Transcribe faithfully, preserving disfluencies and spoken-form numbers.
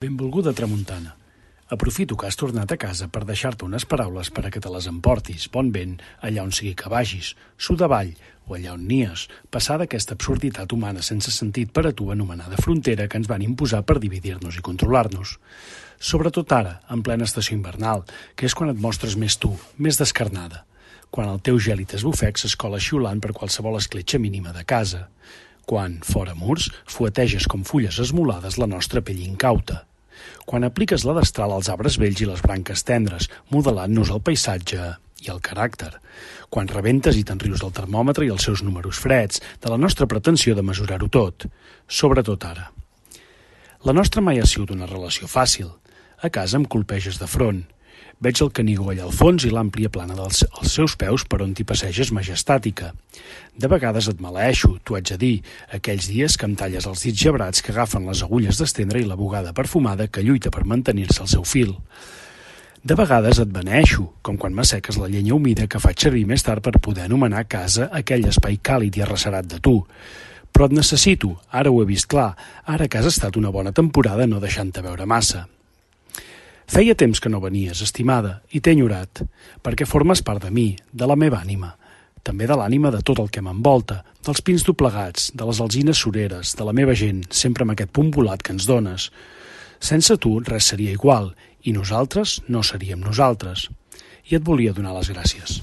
Benvolguda tramuntana. Aprofito que has tornat a casa per deixar-te unes paraules per a que te les emportis, bon vent, allà on sigui que vagis, sud avall o allà on nies, passar d'aquesta absurditat humana sense sentit per a tu anomenada frontera que ens van imposar per dividir-nos i controlar-nos. Sobretot ara, en plena estació invernal, que és quan et mostres més tu, més descarnada, quan el teu gèlid esbufec s'escola xiulant per qualsevol escletxa mínima de casa, quan, fora murs, fueteges com fulles esmolades la nostra pell incauta, quan apliques la destral als arbres vells i les branques tendres, modelant-nos el paisatge i el caràcter, quan rebentes i te'n rius del termòmetre i els seus números freds, de la nostra pretensió de mesurar-ho tot, sobretot ara. La nostra mai ha sigut una relació fàcil. A casa em colpeges de front. Veig el Canigó allà al fons i l'àmplia plana dels els seus peus per on t'hi passeges majestàtica. De vegades et maleeixo, t'ho haig de dir, aquells dies que em talles els dits gebrats que agafen les agulles d'estendre i la bugada perfumada que lluita per mantenir-se al seu fil. De vegades et beneeixo, com quan m'asseques la llenya humida que faig servir més tard per poder anomenar casa aquell espai càlid i arrecerat de tu. Però et necessito, ara ho he vist clar, ara que has estat una bona temporada no deixant-te veure massa. Feia temps que no venies, estimada, i t'he enyorat, perquè formes part de mi, de la meva ànima, també de l'ànima de tot el que m'envolta, dels pins doblegats, de les alzines sureres, de la meva gent, sempre amb aquest punt volat que ens dones. Sense tu res seria igual, i nosaltres no seríem nosaltres. I et volia donar les gràcies.